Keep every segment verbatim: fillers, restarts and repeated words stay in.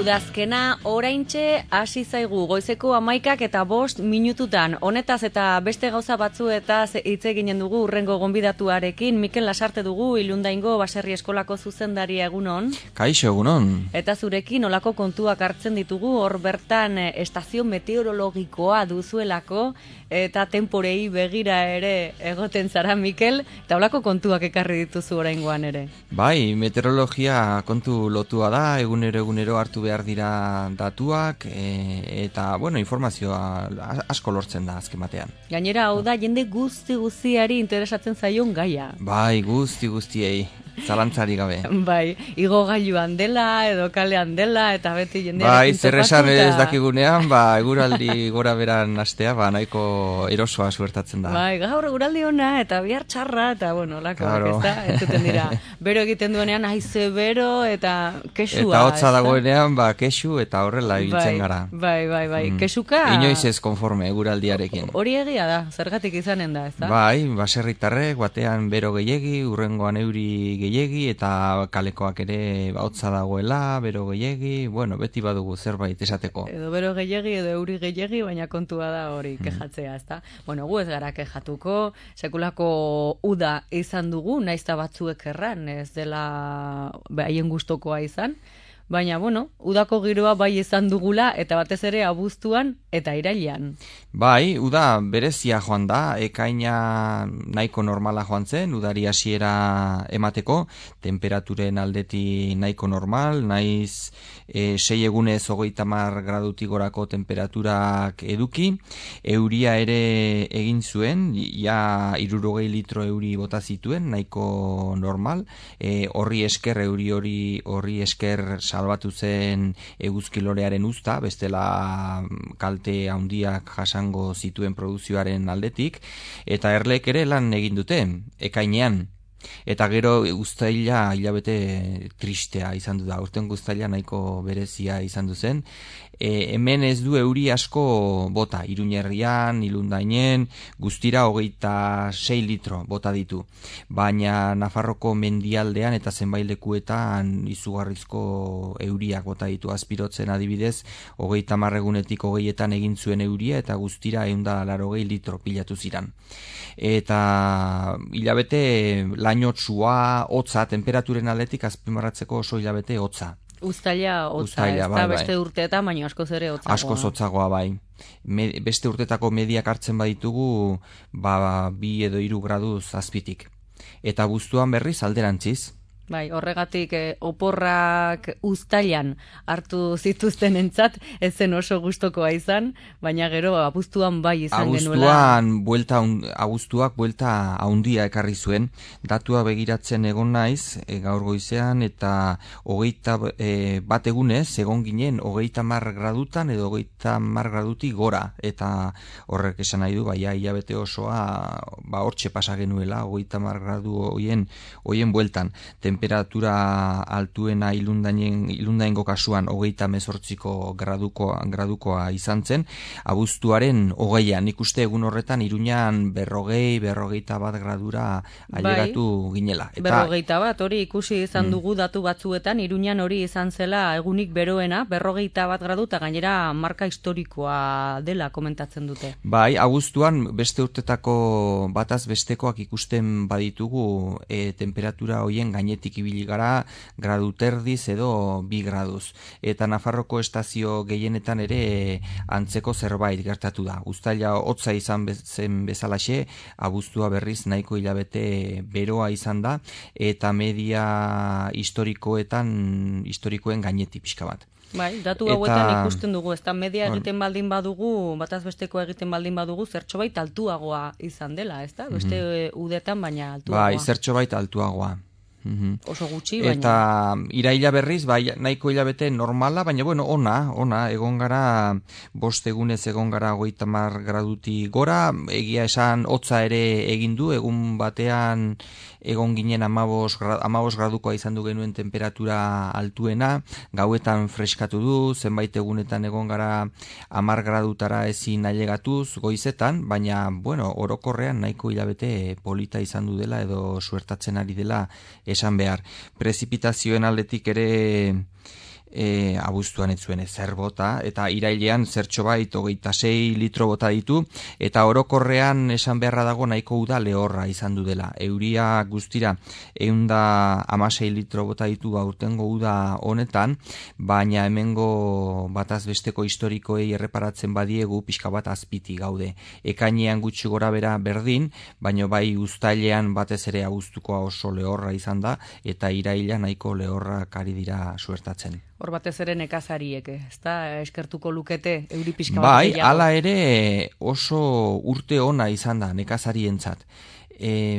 Udazkena oraintxe hasi zaigu goizeko hamaikak eta bost minututan. Honetaz eta beste gauza batzuetaz hitz eginen dugu urrengo gonbidatuarekin. Mikel Lasarte dugu, Ilundaingo Baserri Eskolako zuzendaria, egunon. Kaixo, egunon. Eta zurekin olako kontuak hartzen ditugu, hor bertan estazio meteorologikoa duzuelako, eta temporei begira ere egoten zara, Mikel, eta olako kontuak ekarri dituzu oraingoan ere. Bai, meteorologia kontu lotua da, egunero egunero hartu behar dira datuak, e, eta, bueno, informazioa asko lortzen da azken batean. Gainera, hau da, jende guzti guztiari interesatzen zaion gaia. Bai, guzti guztiei, zalantzari gabe. Bai, igogailuan dela, edo kalean dela, eta beti jendearekin bai, topatu. Bai, zer esan ez dakigunean, ba, eguraldi gora beran astea, ba, nahiko erosoa suertatzen da. Bai, gaur eguraldi ona, eta bihar txarra, eta, bueno, lako, claro. Ez da, ez duten dira. Bero egiten duenean, haize bero, eta kesua. Eta hotza dagoenean, ba, kesu, eta horrela ibiltzen gara. Bai, bai, bai, mm. Kesuka... Inoiz ez konforme eguraldiarekin. Hori egia da, zergatik izanen da, ez da? Bai, baserritarrek, batean bero gehiegi, urrengoan euri gehiegi, eta kalekoak ere hotza dagoela, bero gehiegi, bueno, beti badugu zerbait esateko. Edo bero gehiegi, edo euri gehiegi, baina kontua da hori kejatzea, ez da? Bueno, gu ez gara kejatuko, sekulako uda izan dugu, naizta batzuek erran, ez dela haien gustokoa izan, baina, bueno, udako giroa bai izan dugula, eta batez ere abuztuan eta irailean. Bai, uda berezia joan da, ekaina nahiko normala joan zen, udari hasiera emateko, temperaturen aldeti nahiko normal, naiz e, sei egunez hogeita hamar gradutik gorako temperaturak eduki, euria ere egin zuen, ja hirurogei litro euri bota zituen, nahiko normal, e, horri esker, euri hori horri esker salbatu zen eguzkilorearen uzta, bestela kalte handiak jasango zituen produzioaren aldetik, eta erlek ere lan egin dute, ekainean. Eta gero uztaila hilabete tristea izan du da, urten uztaila nahiko berezia izan du zen. E, hemen ez du euri asko bota, Iruñerrian, Ilundainen, guztira hogeita sei litro bota ditu. Baina Nafarroko mendialdean eta zenbait lekuetan izugarrizko euriak bota ditu, Azpirotzen adibidez, hogeita hamar egunetik hogeietan egin zuen euria eta guztira ehun eta laurogei litro pilatu ziran. Eta hilabete lainotsua, hotza, temperaturen aldetik azpimarratzeko oso hilabete hotza. Uztaila hotza, ez da bai, beste bai. urteetan, baina askoz ere hotzagoa. Askoz hotzagoa, bai. Me, beste urtetako mediak hartzen baditugu, ba, bi edo hiru graduz azpitik. Eta abuztuan berriz alderantziz. Bai, horregatik eh, oporrak uztailan hartu zituzten entzat, ez zen oso gustokoa izan, baina gero abuztuan bai izan genuela. Abuztuan, buelta, abuztuak buelta haundia ekarri zuen, datua begiratzen egon naiz, e, gaur goizean, eta hogeita e, bat egunez, egon ginen, hogeita mar gradutan edo hogeita mar gradutik gora, eta horrek esan nahi du, bai, hilabete osoa, ba, hortxe pasa genuela, hogeita mar gradu hoien, hoien bueltan, temperatura altuena ilundainen, ilundaingo kasuan hogeita hemezortziko gradukoa, gradukoa izan zen, abuztuaren hogeian, ikuste egun horretan Iruñan berrogei, berrogeita bat gradura ailegatu bai, ginela. Eta, berrogeita bat, hori ikusi izan dugu mm. datu batzuetan, Iruñan hori izan zela egunik beroena, berrogeita bat gradu, eta gainera marka historikoa dela komentatzen dute. Bai, abuztuan beste urtetako bataz bestekoak ikusten baditugu e, temperatura hoien gainetik ibili gara, gradu terdiz edo bi graduz. Eta Nafarroko estazio gehienetan ere antzeko zerbait gertatu da. Uztaila hotza izan zen bezalaxe, abuztua berriz nahiko hilabete beroa izan da, eta media historikoetan, historikoen gainetik pixka bat. Bai, datu hauetan eta, ikusten dugu, ez da media egiten baldin badugu, bataz besteko egiten baldin badugu, zertxo bait altuagoa izan dela, ez da? Beste mm-hmm. udetan baina altuagoa. Bai, zertxo bait altuagoa. Mm-hmm. Oso gutxi, baina... Eta iraila berriz, bai, nahiko hilabete normala, baina bueno, ona, ona, egon gara, bost egunez egon gara hogeita hamar graduti gora, egia esan hotza ere egin du, egun batean egon ginen amabos gradukoa izan du genuen temperatura altuena, gauetan freskatu du, zenbait egunetan egon gara hamar gradutara ezin ailegatuz goizetan, baina, bueno, orokorrean nahiko hilabete polita izan du dela edo suertatzen ari dela esan behar. Prezipitazioen aldetik ere e, abuztuan ez zuen ezer bota, eta irailean zertxo bait hogeita sei litro bota ditu, eta orokorrean esan beharra dago nahiko uda lehorra izan du dela. Euria guztira ehunda hamasei litro bota ditu aurtengo uda honetan, baina hemengo bataz besteko historikoei erreparatzen badiegu pixka bat azpiti gaude. Ekainean gutxi gora bera berdin, baina bai uztailean batez ere abuztukoa oso lehorra izan da, eta iraila nahiko lehorrak ari dira suertatzen. Hor batez ere nekazariek, ez da, eskertuko lukete euri pixka bat bai, gehiago. hala ere oso urte ona izan da nekazarientzat. E,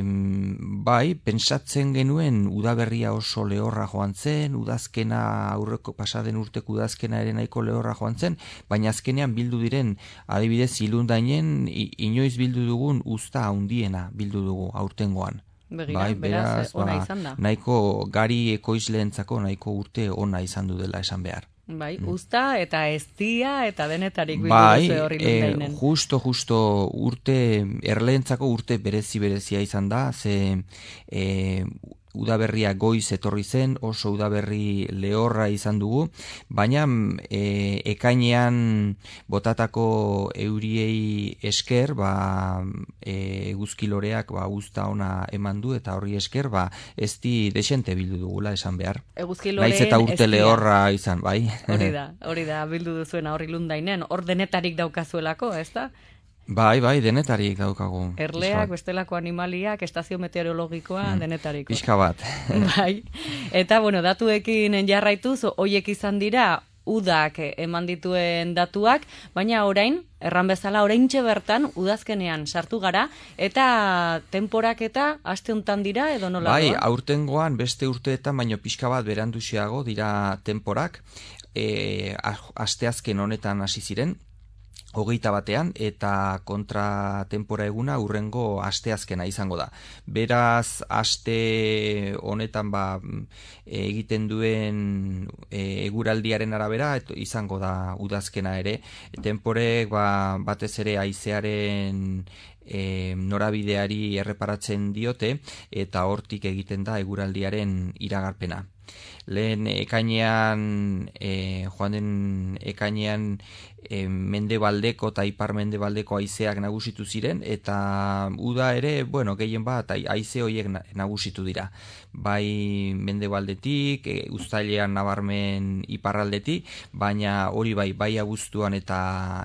bai, pentsatzen genuen udaberria oso lehorra joan zen, udazkena aurreko pasaden urteko udazkena ere nahiko lehorra joan zen, baina azkenean bildu diren, adibidez ilundainen, inoiz bildu dugun uzta handiena bildu dugu aurtengoan. Begira, bai, beraz, ona ba, izan da. Nahiko gari ekoizleentzako nahiko urte ona izan du dela esan behar. Bai, usta eta eztia eta denetarik bildu bai, duzu horri lundainen. justo, justo urte, erleentzako urte berezi berezia izan da, ze e, udaberria goiz etorri zen, oso udaberri lehorra izan dugu, baina e, ekainean botatako euriei esker, ba, e, eguzkiloreak ba, usta ona eman du, eta horri esker, ba, ez di desente bildu dugula esan behar. Eguzkiloreen naiz eta urte eztia. lehorra izan, bai. Hori da, hori da, bildu duzuena horri lundainen, hor denetarik daukazuelako, ez da? Bai, bai, denetarik daukagu. Erleak, bestelako animaliak, estazio meteorologikoa, mm. denetariko. Pixka bat. Bai, eta bueno, datuekin jarraituz, hoiek izan dira udak eman dituen datuak, baina orain, erran bezala oraintxe bertan, udazkenean sartu gara, eta temporak eta aste hontan dira, edo nola? Bai, aurtengoan beste urteetan, baino pixka bat beranduxiago dira temporak, e, asteazken honetan hasi ziren, hogeita batean, eta kontra tempora eguna urrengo asteazkena izango da. Beraz, aste honetan ba, egiten duen e, eguraldiaren arabera et, izango da udazkena ere. Temporek ba, batez ere haizearen e, norabideari erreparatzen diote, eta hortik egiten da eguraldiaren iragarpena. Lehen ekainean, e, joan den ekainean e, mendebaldeko eta ipar mendebaldeko haizeak nagusitu ziren, eta uda ere, bueno, gehien bat haize horiek nagusitu dira. Bai mendebaldetik, e, uztailean nabarmen iparraldetik, baina hori bai, bai abuztuan eta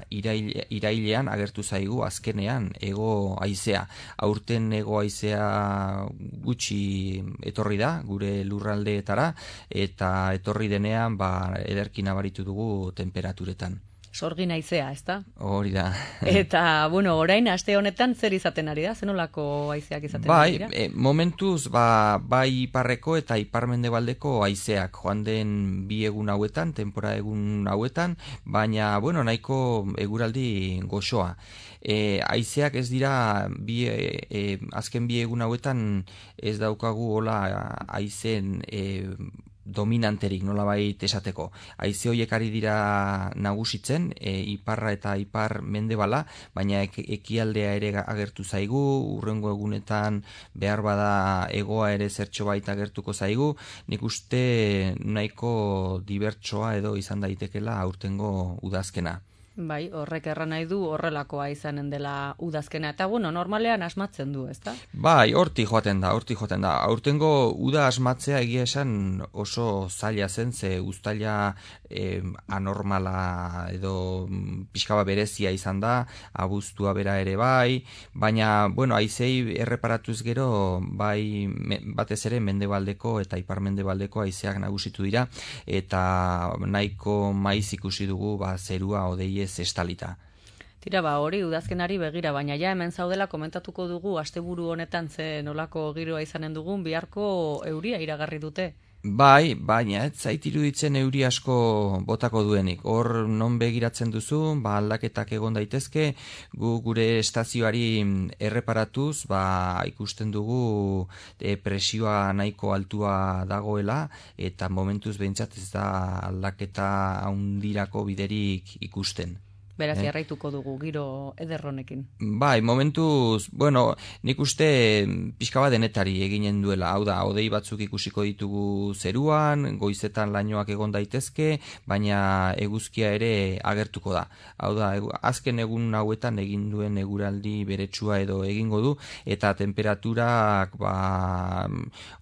iraile, irailean agertu zaigu azkenean ego haizea. Aurten ego haizea gutxi etorri da, gure lurraldeetara, eta etorri denean ba, ederki nabaritu dugu temperaturetan. Sorgin haizea, ez da? Hori da. Eta, bueno, orain, aste honetan zer izaten ari da? Zenolako haizeak izaten bai, ari dira? E, momentuz, ba, bai iparreko eta iparmendebaldeko haizeak joan den bi egun hauetan, tempora egun hauetan, baina, bueno, nahiko eguraldi goxoa. E, haizeak ez dira, bi, e, e, azken bi egun hauetan ez daukagu hola haizen e, dominanterik nolabait esateko. Haize horiek ari dira nagusitzen, e, iparra eta ipar mendebala, baina ek, ekialdea ere agertu zaigu, urrengo egunetan behar bada egoa ere zertxo baita agertuko zaigu, nik uste nahiko dibertsoa edo izan daitekela aurtengo udazkena. Bai, horrek erran nahi du horrelakoa izanen dela udazkena. Eta, bueno, normalean asmatzen du, ezta? Bai, hortik joaten da, hortik joaten da. Aurtengo uda asmatzea egia esan oso zaila zen, ze uztaila eh, anormala edo pixkaba berezia izan da, abuztua bera ere bai, baina, bueno, haizei erreparatuz gero, bai, me, batez ere mendebaldeko eta ipar mendebaldeko haizeak nagusitu dira, eta nahiko maiz ikusi dugu, ba, zerua odeie estalita. Tira ba, hori udazkenari begira, baina ja hemen zaudela komentatuko dugu asteburu honetan ze nolako giroa izanen dugun, biharko euria iragarri dute. Bai, baina ez zait iruditzen euri asko botako duenik. Hor non begiratzen duzu, ba aldaketak egon daitezke, gu gure estazioari erreparatuz, ba ikusten dugu e, presioa nahiko altua dagoela, eta momentuz behintzat ez da aldaketa haundirako biderik ikusten. Beraz, eh? jarraituko dugu giro ederronekin. Bai, momentuz, bueno, nik uste pixka bat denetari eginen duela. Hau da, hodei batzuk ikusiko ditugu zeruan, goizetan lainoak egon daitezke, baina eguzkia ere agertuko da. Hau da, azken egun hauetan egin duen eguraldi beretsua edo egingo du, eta temperaturak, ba,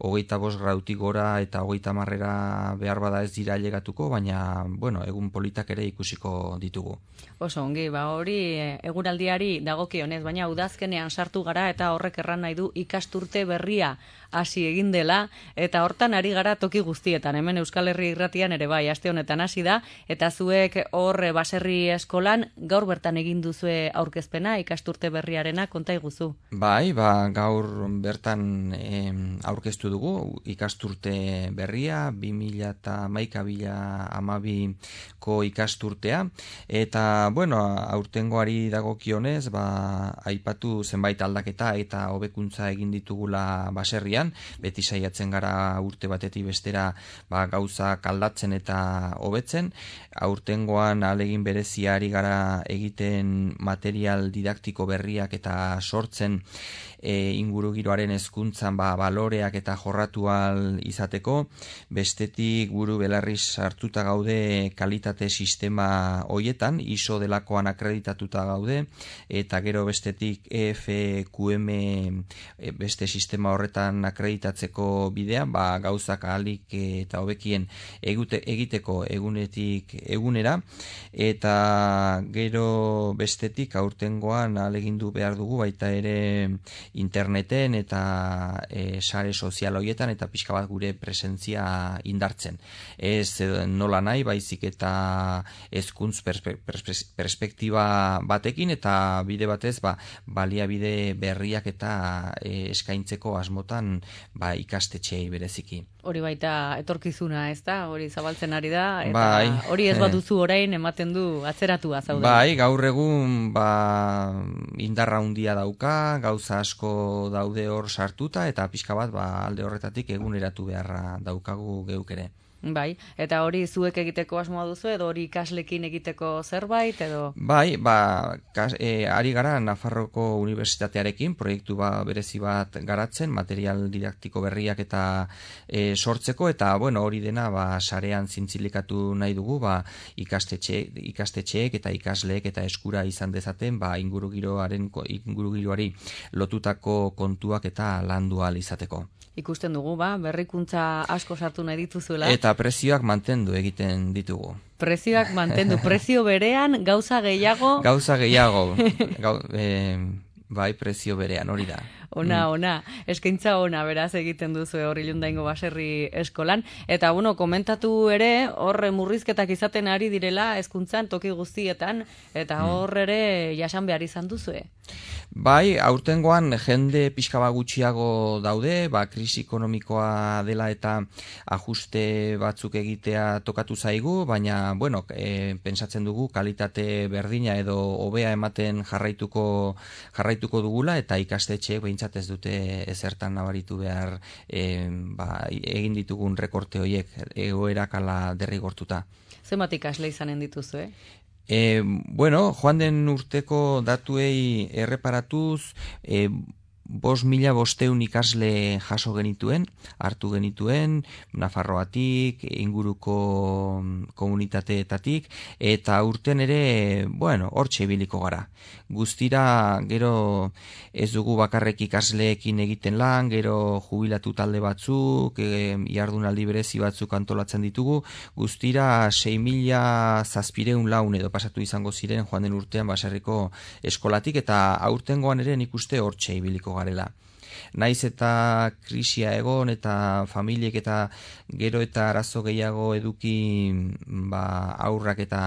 hogeita bost gradutik gora eta hogeita marrera behar bada ez dira ailegatuko, baina, bueno, egun politak ere ikusiko ditugu. Oso ongi, ba hori eguraldiari dagokionez, baina udazkenean sartu gara eta horrek erran nahi du ikasturte berria hasi egin dela, eta hortan ari gara toki guztietan, hemen Euskal Herri Irratian ere bai, aste honetan hasi da, eta zuek horre baserri eskolan gaur bertan egin duzue aurkezpena ikasturte berriarena, konta iguzu. Bai, ba, gaur bertan eh, aurkeztu dugu ikasturte berria, bi mila hamaika bi mila hamabiko ikasturtea, eta bueno, aurtengoari dagokionez, ba, aipatu zenbait aldaketa eta hobekuntza egin ditugula baserrian, beti saiatzen gara urte batetik bestera ba, gauzak aldatzen eta hobetzen. Aurtengoan ahalegin bereziari gara egiten material didaktiko berriak eta sortzen e, ingurugiroaren hezkuntzan ba, baloreak eta jorratu ahal izateko. Bestetik buru belarriz sartuta gaude kalitate sistema hoietan, I S O delakoan akreditatuta gaude, eta gero bestetik E F Q M beste sistema horretan akreditatzeko bidea, ba, gauzak ahalik eta hobekien egute, egiteko egunetik egunera, eta gero bestetik aurtengoan ahalegindu behar dugu baita ere interneten eta e, sare sozial horietan eta pixka bat gure presentzia indartzen. Ez nola nahi, baizik eta hezkuntz perspe, perspe, perspektiba batekin eta bide batez ba, baliabide berriak eta e, eskaintzeko asmotan ba, ikastetxeei bereziki. Hori baita etorkizuna, ez da? Hori zabaltzen ari da, eta bai, hori ez baduzu orain ematen du atzeratua zauden. Bai, gaur egun ba, indarra handia dauka, gauza asko daude hor sartuta, eta pixka bat ba, alde horretatik eguneratu beharra daukagu geuk ere. Bai, eta hori zuek egiteko asmoa duzu, edo hori ikaslekin egiteko zerbait, edo? Bai, ba, kas, e, ari gara Nafarroko Unibertsitatearekin proiektu ba, berezi bat garatzen, material didaktiko berriak eta e, sortzeko, eta bueno, hori dena ba, sarean zintzilikatu nahi dugu, ba, ikastetxe, ikastetxeek eta ikasleek eta eskura izan dezaten, ba, ingurugiroaren, ingurugiroari lotutako kontuak eta landu ahal izateko. Ikusten dugu, ba, berrikuntza asko sartu nahi dituzuela. Eta prezioak mantendu egiten ditugu. Prezioak mantendu, prezio berean, gauza gehiago. Gauza gehiago, Gau, eh, bai, prezio berean, hori da. Ona, ona, eskaintza ona beraz egiten duzu hori Ilundaingo baserri eskolan. Eta, bueno, komentatu ere, horre murrizketak izaten ari direla hezkuntzan toki guztietan, eta hor ere jasan behar izan duzue. Bai, aurtengoan jende pixka bat gutxiago daude, ba, krisi ekonomikoa dela eta ajuste batzuk egitea tokatu zaigu, baina, bueno, e, pentsatzen dugu kalitate berdina edo hobea ematen jarraituko jarraituko dugula, eta ikastetxeek behintzat ez dute ezertan nabaritu behar e, ba, egin ditugun rekorte horiek egoerak ala derrigortuta. Zenbat ikasle izanen dituzu, eh? E, bueno, joan den urteko datuei erreparatuz, e, bost mila bosteun ikasle jaso genituen, hartu genituen, Nafarroatik, inguruko komunitateetatik, eta urten ere, bueno, hortxe ibiliko gara. Guztira, gero ez dugu bakarrek ikasleekin egiten lan, gero jubilatu talde batzuk, e, jardunaldi berezi batzuk antolatzen ditugu, guztira sei mila zazpireun laun edo pasatu izango ziren joan den urtean baserriko eskolatik, eta aurtengoan ere nik uste hortxe ibiliko garela. Naiz eta krisia egon eta familiek eta gero eta arazo gehiago eduki ba, aurrak eta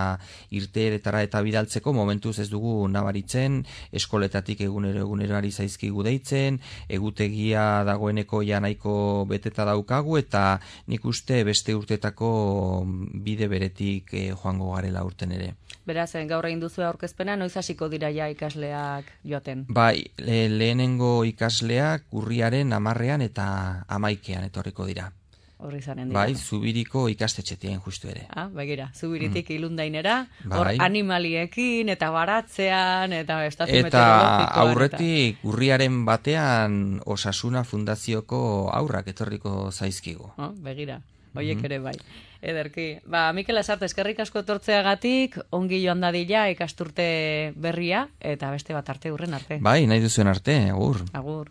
irteeretara eta bidaltzeko momentuz ez dugu nabaritzen, eskoletatik egunero egunero ari zaizkigu deitzen, egutegia dagoeneko ja nahiko beteta daukagu, eta nik uste beste urtetako bide beretik eh, joango garela urten ere. Beraz, gaur egin duzu aurkezpena, noiz hasiko dira ja ikasleak joaten? Bai, le, lehenengo ikasleak urriaren hamarrean eta hamaikean etorriko dira. horri zaren dira. Bai, Zubiriko ikastetxetien justu ere. Ah, begira, Zubiritik mm. ilundainera, bai. Hor animaliekin, eta baratzean, eta estazio eta meteorologikoan. Aurretik eta... urriaren batean Osasuna Fundazioko aurrak etorriko zaizkigu. Oh, begira, hoiek mm-hmm. ere bai. Ederki. Ba, Mikel Lasarte, eskerrik asko etortzeagatik, ongi joan dadila ikasturte berria, eta beste bat arte hurren arte. Bai, nahi duzuen arte, agur. Agur.